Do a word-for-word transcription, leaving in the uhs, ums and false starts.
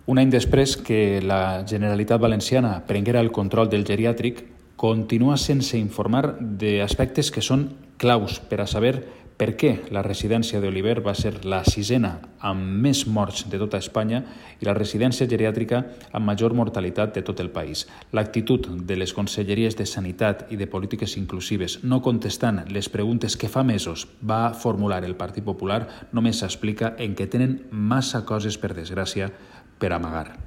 Un any després que la Generalitat Valenciana prenguera el control del geriàtric, continua sense informar d'aspectes que són claus per a saber per què la residència d'Oliver va ser la sisena amb més morts de tota Espanya i la residència geriàtrica amb major mortalitat de tot el país. L'actitud de les conselleries de Sanitat i de Polítiques Inclusives no contestant les preguntes que fa mesos va formular el Partit Popular només s'explica en què tenen massa coses, per desgràcia, per amagar.